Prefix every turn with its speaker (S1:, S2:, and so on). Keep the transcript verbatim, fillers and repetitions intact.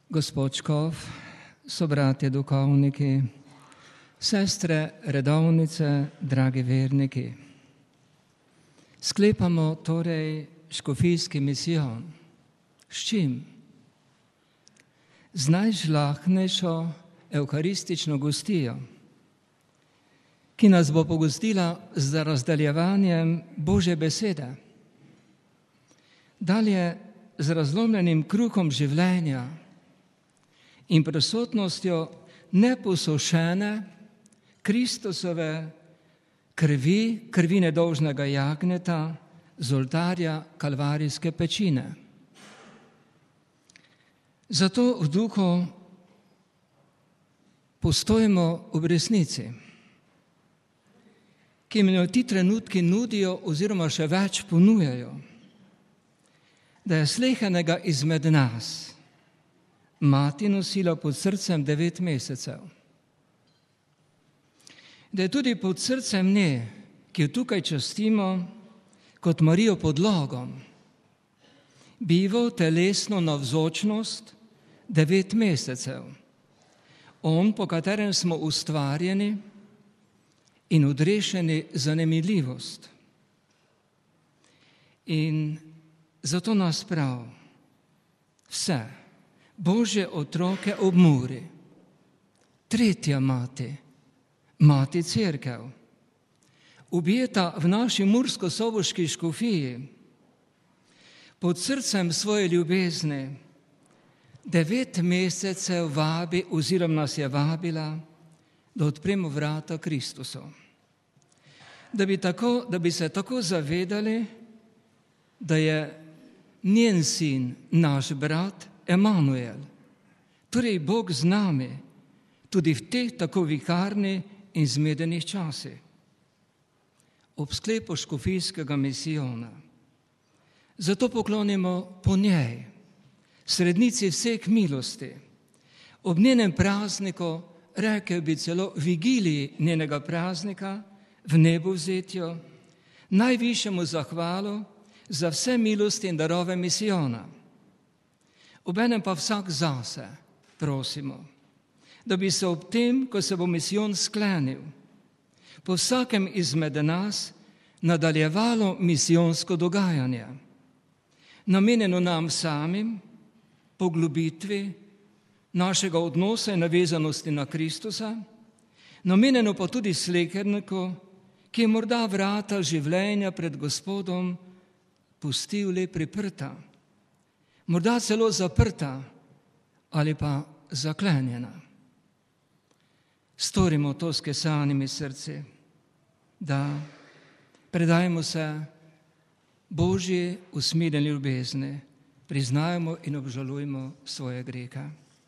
S1: Gospod Škof, sobratje duhovniki, sestre redovnice, dragi verniki. Sklepamo torej škofijski misijon. S čim? Z najžlahtnejšo evharistično gostijo, ki nas bo pogostila z razdaljevanjem Božje besede. Dalje z razlomljenim kruhom življenja in prisotnostjo neposušene Kristusove krvi, krvi nedolžnega jagnjeta z oltarja kalvarijske pečine. Zato v duhu postojimo v resnici, ki mi ti trenutki nudijo oziroma še več ponujajo, da je slehernega izmed nas mati nosila pod srcem devet mesecev. Da je tudi pod srcem nje, ki jo tukaj častimo kot Marijo pod logom, bival telesno navzočnost devet mesecev. On, po katerem smo ustvarjeni in odrešeni za nemiljivost. In zato nas prav vse Božje otroke ob Muri, tretja mati, mati Cerkev, objeta v naši mursko-soboški škofiji, pod srcem svoje ljubezni, devet mesecev vabi oziroma nas je vabila, da odpremo vrata Kristusu. Da bi, tako, da bi se tako zavedali, da je njen sin, naš brat, Emanuel, torej Bog z nami, tudi v teh tako viharnih in zmedenih časih. Ob sklepu škofijskega misijona. Zato poklonimo po njej, srednici vseh milosti, ob njenem prazniku, rekel bi celo vigiliji njenega praznika, v nebovzetju, najvišjemu zahvalu za vse milosti in darove misijona. Obenem pa vsak zase prosimo, da bi se ob tem, ko se bo misijon sklenil, po vsakem izmed nas nadaljevalo misijonsko dogajanje, namenjeno nam samim, poglobitvi našega odnosa in navezanosti na Kristusa, namenjeno pa tudi sleherniku, ki je morda vrata življenja pred Gospodom pustil le priprta, morda celo zaprta ali pa zaklenjena. Storimo to s kesanimi srci, da predajmo se Božji usmiljeni ljubezni, priznajmo in obžalujmo svoje grehe.